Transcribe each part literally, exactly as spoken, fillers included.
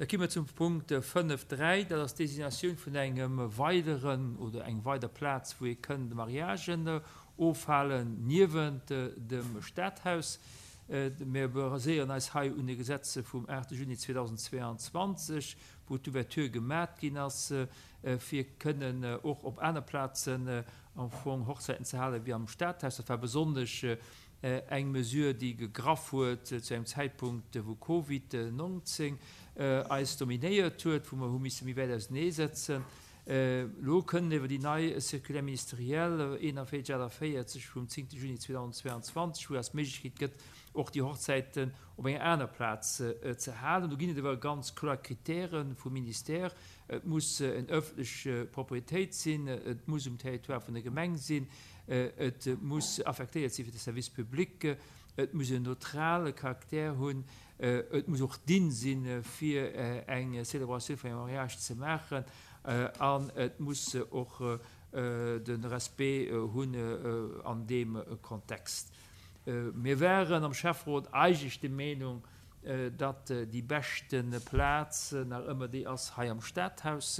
Da ki mer zum Punkt fënnef dräi, dat ass d'Designatioun vun engem weideren oder eng weider Plaz, wou ee kënn de Mariagen ofhalen, niewent dem Stadhaus. Mir baséieren eis hei un de Gesetze vum aachte Juni zweedausendzweeanzwanzeg, wou d'Ouverture gemat ginn ass, fir kënnen och op aner Plazen am Fong Hochzäiten ze halen wéi am Stadhaus. Dat war besonnesch eng Mesure, déi gegraff huet zu engem Zäitpunkt, wou Covid neunzéng eis dominéiert huet, wou mer hu misse méi wäit ausenee sëtzen. Elo kënnen iwwer déi nei Circulaire ministérielle eenanvéierzeg achtundvéierzeg vum zéngte Juni zweedausendzweiandzwanzeg, wou eis d'Méiglechkeet gëtt, och déi Hochzäiten op enger aner Plaz ze halen. Do ginn et awer ganz kloer Kritäre vum Ministère. Et muss eng ëffentlech Propriétéit sinn, et muss um Territoire vun der Gemeng sinn, et muss affektéiert sinn fir de Service public, et muss en neutrale Charakter hunn, et muss och dinn sinn, fir eng Célébratioun vun engem Mariage ze maachen, an et muss och de Respect hunn an deem Kontext. Mir waren am Schäfferot eigentlich der Meinung, datt déi beschte Plaz nach ëmmer déi ass hei am Stadhaus,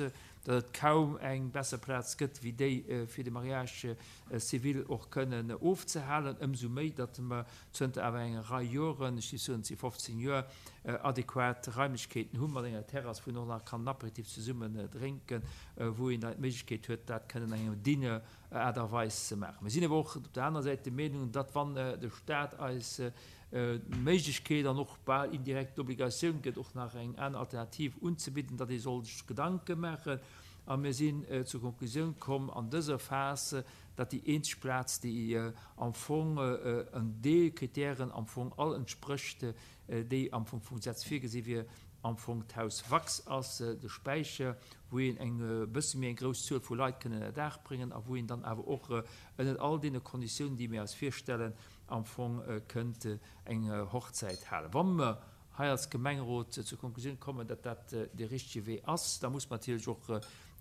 datt et kaum eng besser Plaz gëtt, wéi déi fir de Mariage civil och kënnen ofzehalen, ëmsou méi, datt mer zënter awer enger Rei Joren, ech géif soen, zehn, fofzehn Joer, adequat Raimlechkeeten hu mat enger Terrass, wou een och nach kann en Apéritif zesummen drénken, wou een dann d'Méiglechkeet huet, dat kënnen an engem digne Aart a Weis ze maachen. Mir sinn awer och op der anerer Säit der Meenung, datt wann de Staat eis d'Méiglechkeet an och bal indirekt d'Obligatioun gëtt, och nach eng aner Alternativ unzebidden, datt ee soll sech Gedanke maachen. A mir sinn zur Konklusioun komm an dëser Phas, datt déi eenzeg Plaz, déi am Fong en de Kritären am Fong all entsprécht, déi am Fong vum Gesetz virgesi wier, am Fong d'Haus Wax ass, de Späicher, wou een eng bësse méi eng grouss Zuel vu Leit kënnen ënner Daach bréngen a wou een dann awer och ënner all deene Konditiounen, déi mir eis virstellen, am Fong kënnt eng Hochzäit halen. Wa mer hei als Gemengerot zur Konklusioun kommen, datt dat de richtige Wee ass, da muss man natierlech och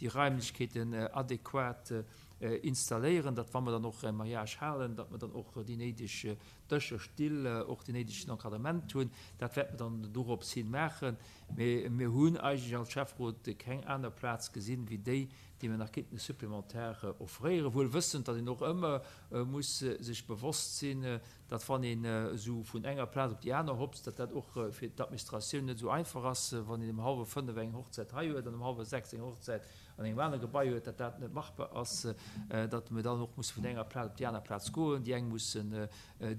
déi Raimlechkeeten adequat installéieren, datt wa mer dann och e Mariage halen, datt mer dann och déi néideg Dëscher, Still, och déi néidegen Encadrement hunn. Dat wäerte mer dann dorops hin maachen. Mee mir hunn eigentlech als Schäfferot keng aner Plaz gesinn, wéi déi, déi mir nach kéinten supplémentaire offréieren, wuel wëssend, datt een och ëmmer muss sech bewosst sinn, datt wann een esou vun enger Plaz op déi aner hopst, datt dat och fir d'Administratioun net esou einfach ass, wann een um hallwer fënnef eng Hochzäit hei huet an um hallwer sechs eng Hochzäit an engem anere Gebai huet, datt dat net machbar ass, datt mir dann och musse vun enger Plaz op déi aner Plaz goen, déi eng mussen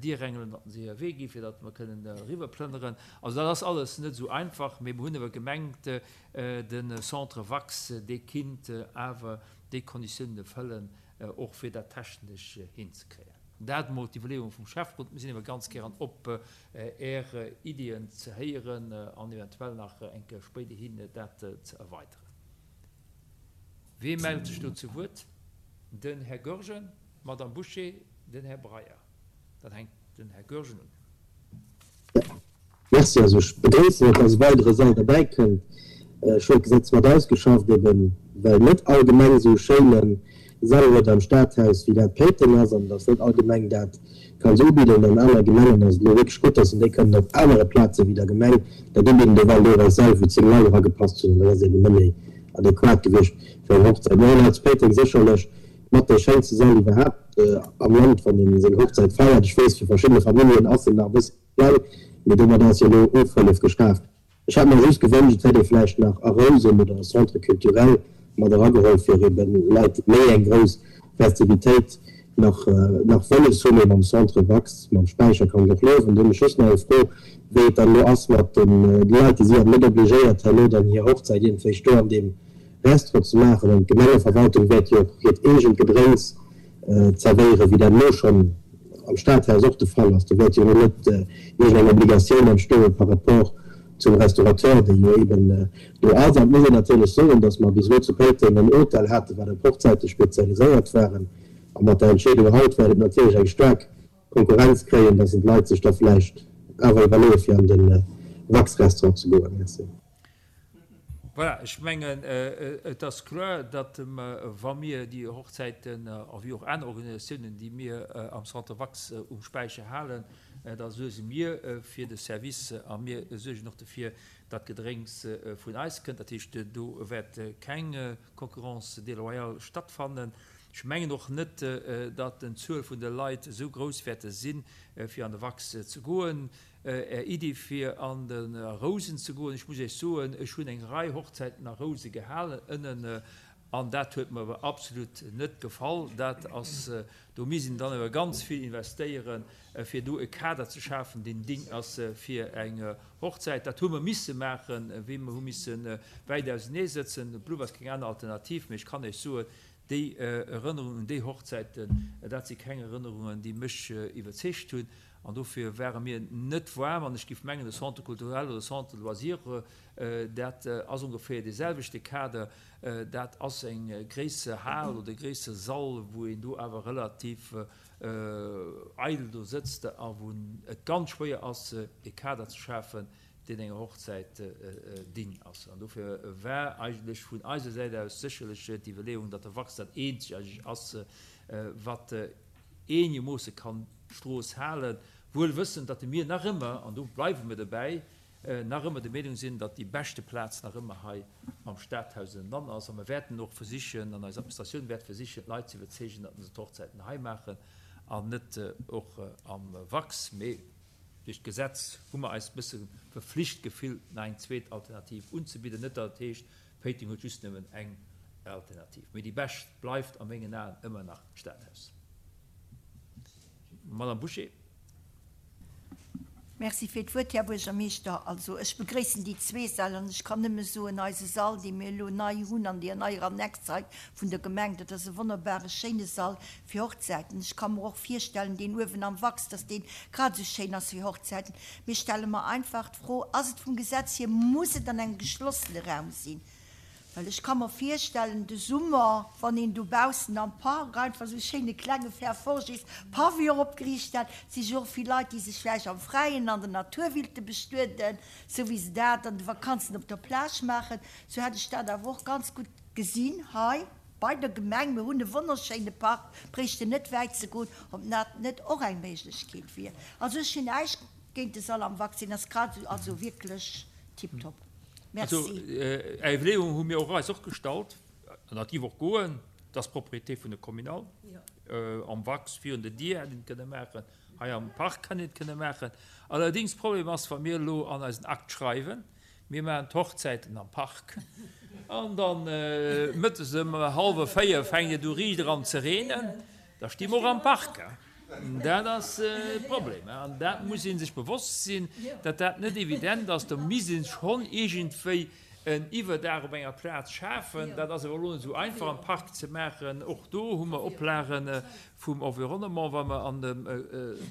Dierengelen, datt se hir Wee ginn, fir datt mer kënnen eriwwerplënneren. Also dat ass alles net esou einfach, mee mir hunn awer gemengt, de Centre Wax, dee kinnt awer déi Konditiounen erfëllen, och fir dat technesch hinzekréien. Dat mol d'Iwwerleeung vum Schäfferot. Mir sinn awer ganz gären op Är Iddien ze héieren an eventuell nach eng Kéier spéiderhin dat ze erweideren. Wee mellt sech do zu Wuert? Den Här Goergen, d'Madame Bouché, den Här Breyer. Dann hänkt den Här Goergen un. Merci. Also ech begréissen et, dass e weidere Sall derbäi kënnt. Ech hunn d'Gesetz mat ausgeschafft, eben well net all Gemeng esou e schéine Sall huet am Stadhaus, wéi dat Péiteng ass, an dass net all Gemeng dat kann esou ubidden. An aner Gemengen ass et elo wierklech gutt, dass se déi kënnen op anere Plaze wéi der Gemeng dat ubidden. Do waren deelweis Säll, wou zéng Leit eragepasst hunn, an dat ass eben net méi adequat gewiescht fir eng Hochzäit. Mir hunn hei zu Péiteng sécherlech mat dee schéinste Sall iwwerhaapt am Land, wann ee seng Hochzäit feiert. Ech weess, fir verschidde Familljen ass en nach e bësse kleng, mee domat ass jo elo Ofhëllef geschaaft. Ech hätt mer just gewënscht, et hätt ee vläicht nach a Rousen oder e Centre culturel mat erageholl, fir eben Leit, déi méi eng grouss Festivitéit nach nach wëlles hunn, eben am Centre Wax, mam Späicher kann ech och liewen. Do hunn ech just nach eng Fro, wéi et dann elo ass mat de Leit, déi si awer net obligéiert, herno dann hir Hochzäit iergendwéi do an deem Restaurant ze maachen. An d'Gemengeverwaltung wäert jo och hiert eegent Gedrénks zerwéieren, wéi dat elo schonn am Stadhaus och de Fall ass. Do wäert jo elo net iergendeng Obligatioun entstoe par rapport zum Restaurateur, dee jo eben do ass. An et muss een natierlech soen, datt mer bis elo zu Péiteng en Hotel haten, wat op Hochzäite spezialiséiert waren. A mat der Entscheedung haut wäert et natierlech eng staark Konkurrenz kréien, datt d'Leit sech da vläicht awer iwwerleeë fir an de Wax-Restaurant ze goen. Merci. Voilà, ech mengen, et ass kloer, datt wa mir déi Hochzäiten a wéi och aner Organisatiounen, déi mir am Centre Wax um Späicher halen, Da suerge mir fir de Service a mir suergen och dofir, datt d'Gedrénks vun eis kënnt. Dat heescht, do wäert keng Concurrence déloyale stattfannen. Ech mengen och net, datt den Zuel vun de Leit esou grouss wäerte sinn, fir an de Wax ze goen. Är Iddi fir an de Rousen ze goen, ech muss Iech soen, ech hunn eng Rei Hochzäiten a Rouse gehalen ënnen, an dat huet mer awer absolut net gefall. Dat ass, do misst een dann awer ganz vill investéieren, fir do e Kader ze schafen, deen ding ass fir eng Hochzäit. Dat hu mer misse maachen, wéi mer hu misse wäit ausenee sëtzen. Et blouf eis keng aner Alternativ. Mee ech kann Iech soen, déi Erënnerungen un déi Hochzäiten, dat si keng Erënnerungen, déi mech iwwerzeegt hunn. An dofir ware mir net waarm. An ech géif mengen, de Centre culturel oder Centre de loisirs, dat ass ongeféier dee selwechte Kader. Dat ass eng gréisser Hal oder e gréisser Sall, wou een do awer relativ eidel do sëtzt a wou et ganz schwéier ass, e Kader ze schafen, deen enger Hochzäit digne ass. An dofir war eigentlech vun eiser Säit aus sécherlech d'Iwwerleeung, datt de Wachs dat eenzeg eigentlech ass, wat eenegermoosse kann d'Strooss halen, wuel wëssend, datt mir nach ëmmer, an do bleiwe mir dobäi, nach ëmmer der Meenung sinn, datt déi beschte Plaz nach ëmmer hei am Stadhaus ënnenan ass. A mir wäerten och versichen, an eis Administratioun wäert versichen, d'Leit ze iwwerzeegen, datt se d'Hochzäiten hei maachen an net och am Wachs. Mee duerch d'Gesetz hu mer eis e bësse verflicht gefillt, nach eng zweet Alternativ unzebidden. Net datt et heescht, Péiteng huet just nëmmen eng Alternativ. Mee déi bescht bleift a mengen Aen ëmmer nach d'Stadhaus. Madame Bouché. Merci fir d'Wuert, Här Buergermeeschter. Also, ech begréissen déi zwee Säll an ech kann nëmme soen, eise Sall, dee mir elo nei hunn an deer neier Annex hei vun der Gemeng, dat ass e wonnerbare schéine Sall fir Hochzäiten. Ech ka mer och virstellen, deen uewen am Wachs, dass dee grad esou schéin ass fir Hochzäiten. Mir stelle mer einfach d'Fro, Ass et vum Gesetz hier, muss et an engem geschlossene Raum sinn? Well ech ka mer virstellen, de Summer, wann een dobaussen am Park einfach esou e schéine klenge Fer forgés Pavillon opgeriicht hätt, si jo och vill Leit, déi sech vläicht am Fräien an der Natur willte bestueden, sou wéi se dat an de Vakanzen op der Plage maachen. Sou hätt ech dat awer och ganz gutt gesinn hei bei der Gemeng. Mir hunn e wonnerschéine Park, bréichten net wäit ze goen, ob dat net och eng Méiglechkeet wier. Also ech hunn näischt géint de Sall am Vaccin, ass grad esou, also wierklech tiptop. Also, Merci. Är Iwwerleeung hu mir och eis och gestallt, an dat géif och goen, dat ass d'Propriété vun der Communale, am Wachs virun der Dier hätt een et kënne maachen, hei am Park hätt een et kënne maachen. Allerdings, Problem ass, wa mir elo an eisen Akt schreiwen, mir maachen d'Hochzäiten am Park, an da mëttes ëm hallwer véier fänkt et u riicht eran ze reenen, da sti mer och am Park. Dat ass de Problem. An dat muss ee sech bewosst sinn, datt dat net evident ass. Do misst ee schonn iergendwéi en Iwwerdaach op enger Plaz schafen. Dat ass awer elo net esou einfach am Park ze maachen. Och do hu mer Oplage vum Environnement, wa mer an dem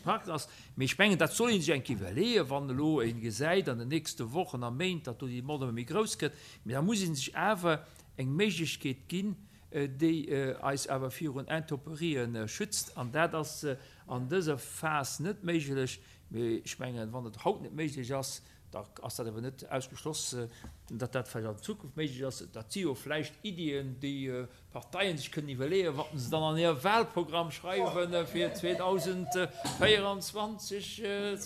Park ass. Mee ech mengen, dat soll ee sech eng Kéier iwwerleeën, wann elo ee gesäit an den nächste Wochen a Méint, datt do déi Demande ëmmer méi grouss gëtt. Mee da muss ee sech awer eng Méiglechkeet ginn, déi eis awer virun Intemperien schützt, an dat ass an dëser Phas net méiglech. Mee ech mengen, wann et haut net méiglech ass, da ass dat awer net ausgeschloss, datt dat vläicht an Zukunft méiglech ass. Dat si jo vläicht Iddien, déi d'Parteien sech kënnen iwwerleeën, wat se dann an hir Wahlprogramm schreiwe fir zweedausendvéierundzwanzeg,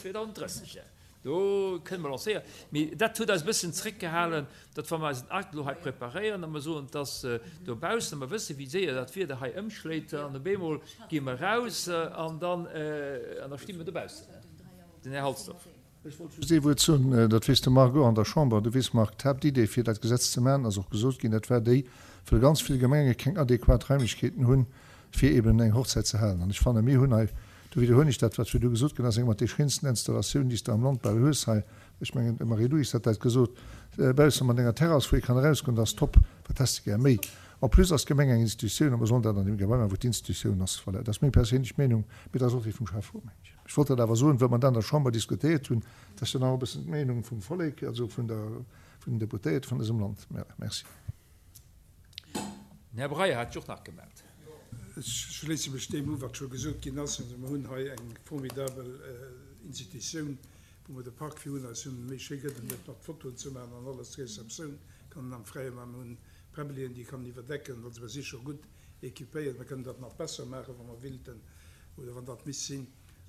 zweedausendrësseg. Do kënne mer lancéieren. Mee dat huet eis e bëssen zréckgehalen, datt wa mer eisen Akt elo hei preparéieren a mer soen, et ass dobaussen a mer wësse wéi séier dat Wieder hei ëmschléit an op eemol gi mer eraus an dann, an da sti mer dobaussen. Den Här Halsdorf. Ech wollt just ee Wuert soen, dat weess de Marc och an der Chamber. Du weess, Marc, d'Haaptidee fir dat Gesetz ze maachen, ass och gesot ginn, dat war déi, well ganz vill Gemenge keng adequat Raimlechkeeten hunn, fir eben eng Hochzäit ze halen. An ech fannen, mir hunn hei, do widderhuelen ech dat, wat virdu gesot ginn ass, eng mat de schéinsten Installatiounen, déi s de am Land bal hues hei, ech mengen, d'Marie-Louise hat dat gesot, bausse mat enger Terrass, wou ee kann erausgoen, dat ass top, wat häss de gär méi? En plus ass d'Gemeng eng Institutioun a mer sollen dat an deem Gebai maachen, wou d'Institutioun ass. Voilà, dat ass meng perséinlech Meenung, mee dat ass och déi vum Schäfferot, mengen ech. Ech wollt dat awer soen, well mer dat an der Chamber diskutéiert hunn, dat ass jo dann och e bëssen d'Meenung vum Vollek, also vun der, vun den Deputéierte vun dësem Land. Merci. Den Här Breyer hat sech och nach gemellt. Ech schléisse mech deem u, wat scho gesot ginn ass. Also mer hunn hei eng formidabel Institutioun, wou mer de Park virun eis hunn. Méi schéi gëtt et net, mat Fotoen ze maachen an alles. D'Receptioun kann een am Fräie maachen. Mer hunn Präbbelien, déi kann een iwwerdecken. Also mer si scho gutt équipéiert. Mer kënnen dat nach besser maachen, wa mer willten oder wann dat misst sinn.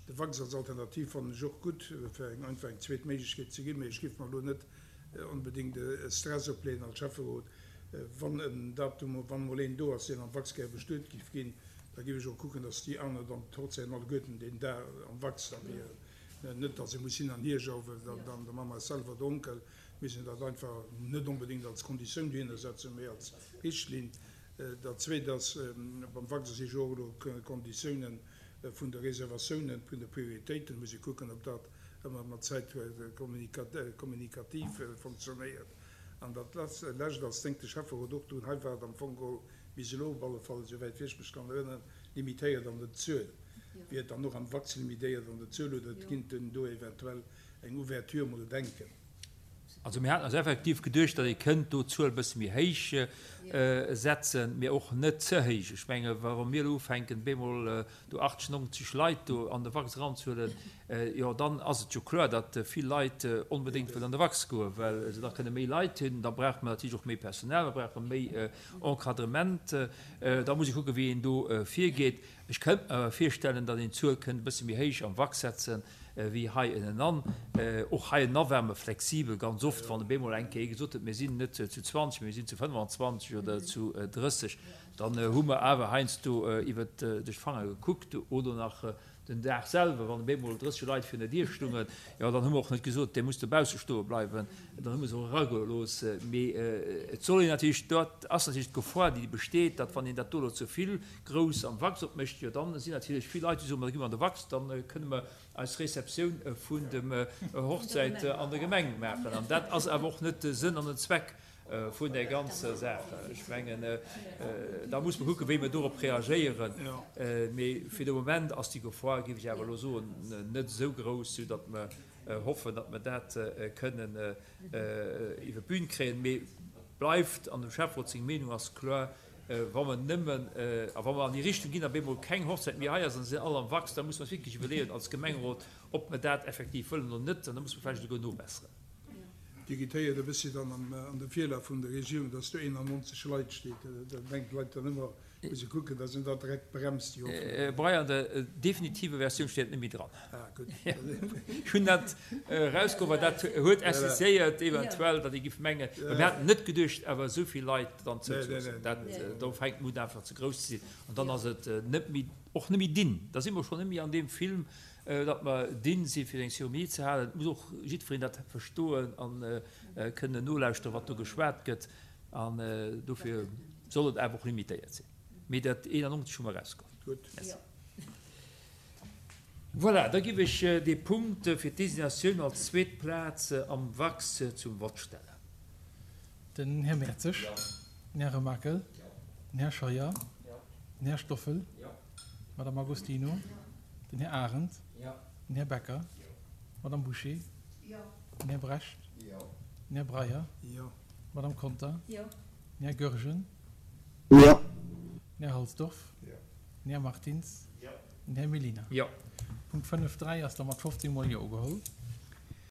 De Wachs als Alternativ fannen ech och gutt, fir eng einfach eng zweet Méiglechkeet ze ginn, mee ech géif mer elo net onbedéngt e Stress opleeën als Schäfferot, wann en Datum, wann emol een do ass, deen am Wachs gär bestuet géif ginn, da géif ech och kucken, dass déi aner dann d'Hochzäiten alleguerten deen Dag am Wachs da wieren. Net, dass ee muss hin an hier jauwen, dann da maache mer eis selwer donkel. Mir sinn dat einfach net onbedéngt als Konditioun dohinner setzen, mee als Richtlinn. Dat Zweet ass, beim Wachs si jo och elo Konditiounen vun de Reservatiounen, vun de Prioritéiten. Muss ee kucken, ob dat ëmmer mat Zäit kommunikativ fonctionnéiert. An dat Lescht ass, denkt de Schäfferot och drun, hei war et am Fong geholl bis elo op alle Fall, esouwäit wéi ech mech kann erënneren, limitéiert an der Zuel. Wier et dann och am Wachs limitéiert an der Zuel oder kinnt en do eventuell eng Ouverture mol denken? Also mir haten eis effektiv geduecht, datt ee kënnt do d'Zuel e bësse méi héich setzen, mee och net ze héich. Ech menge wa mir elo ufänken, bemol do achtzeg, nonzeg Leit do an de Wachs eranzehuelen, jo dann ass et jo kloer, datt vill Leit onbedéngt wëllen an de Wachs goen, well se da kënne méi Leit hunn. Da brauche mer natierlech och méi Personal, mer brauche méi Encadrement. Da muss ee kucken, wéi een do virgeet. Ech kënnt mer awer virstellen, datt een d'Zuel kënnt e bësse méi héich am Wachs setzen wéi hei ënnenan. Och hei ënna ware mer flexibel ganz oft, wann op eemol eng Kéier ee gesot huet, mir sinn net zu zwanzeg, mee mir sinn zu fënnwanzwanzeg oder zu drësseg, dann hu mer awer heiansdo iwwer duerch d'Fanger gekuckt oder nach den Dag selwer, wann op eemol drësseg Leit virun der Dier stungen, jo, dann hu mer och net gesot, Dir musst dobausse stoe bleiwen, dann hu mer se och eragelooss. Mee et soll een natierlech, dat ass natierlech d'Gefor, déi besteet, datt wann een dat do elo ze vill grouss am Wachs opmécht, jo, dann sinn natierlech vill Leit, déi soen, Ma da gi mer an de Wachs, da kënne mer eis Receptioun vun dem Hochzäit an der Gemeng maachen. An dat ass awer och net de Sënn an den Zweck vun där ganzer Saach. Ech mengen, da muss mer kucken, wéi mer dorop reagéieren. Mee fir de Moment ass déi Gefor, géif ech awer elo soen, net esou grouss, soudatt mer hoffen, datt mer dat kënnen iwwer d'Bün kréien. Mee bleift, an dem Schäfferot seng Meenung ass kloer, wa mer nëmmen, a wa mer an déi Richtung ginn, a bemol keng Hochzäit méi hei ass an se sinn all am Wachs, da muss mer eis wierklech iwwerleeën als Gemengerot, ob mer dat effektiv wëllen oder net. An da muss mer vläicht esouguer nobesseren. Dir gitt héiert e bëssi dann an de Virlaf vun der Regierung, dass do eenannonzeg Leit steet. Da denken d'Leit dann ëmmer, muss e kucken, dass een dat direkt bremst, déi Hoffnung. Brei, an der definitiver Versioun steet et net méi dran. Ah, gutt. Ech hunn dat erausgeholl, well dat huet insistéiert eventuell, datt ee giff mengen, mä mir haten net geduecht, awer esou vill Leit dann zouzeloossen. Dat, do fänkt d'Mut einfach ze grouss ze sinn an dann ass et net méi, och net méi dinn. Da si mer schonn net méi an deem Film, datt mer dinn si fir eng Zeremonie ze halen. Et muss och jiddwereen dat verstoen a kënnen nolauschteren, wat do geschwat gëtt. An dofir soll et awer och limitéiert sinn. Mee dat eenannonzeg hu mer erausgeholl. Gutt. Merci. Voilà, da giff ech dee Punkt fir d'Designatioun als zweet Plaz am Wachs zum Vott stellen. Den Här Mertzig. Den Här Remakel. Den Här Scheuer. Den Här Stoffel. D'Madame Agostino. Den Här Arendt. Den Här Becker. D'Madame Bouché. Den Här Brecht. Den Här Breyer. D'Madame Conter. Den Här Goergen. Den Här Halsdorf. Den Här Martins. Den Här Mellina. Punkt fënnef dräi ass da mat fofzéng mol Jo ugeholl.